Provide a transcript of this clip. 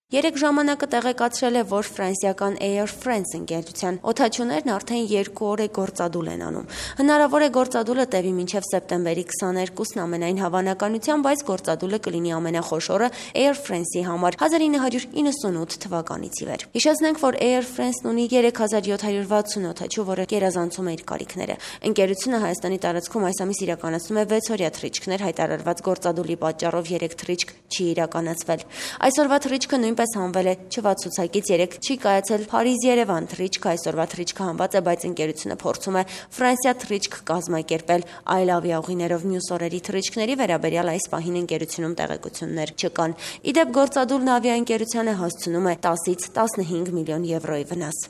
Երեք ժամանակը տեղեկացրել է, որ ֆրանսիական Air France ընկերության օդաչուներն արդեն 2 օր է գործադուլ են անում։ Հնարավոր է գործադուլը տևի մինչև սեպտեմբերի 22-ն ամենայն հավանականությամբ, բայց գործադուլը կլինի ամենախոշորը Air France-ի համար 1998 թվականից ի վեր։ Հիշեցնենք, որ Air France-ն ունի 3760 օդաչու, որը գերազանցում է իր կարիքները։ Ընկերությունը Հայաստանի տարածքում այս ամիս իրականացնում է 6 օրյա թռիչքներ, հայտարարված գործադուլի պատճառով 3 թռիչք չի իրականացվել։ Այսօրվա թռիչքը նույնպես հանվել է չվացուցակից, 3 չի կայացել Փարիզ-Երևան թռիչքը, այսօրվա թռիչքը հանված է, բայց ընկերությունը փորձում է Ֆրանսիա թռիչք կազմակերպել այլ ավիաուղիներով։ Մյուս օրերի թռիչքների վերաբերյալ այս պահին ընկերությունում տեղեկություններ չկան։ Ի դեպ, գործադուլն ավիաընկերությանը հասցնում է 10-ից 15 միլիոն եվրոյի վնաս։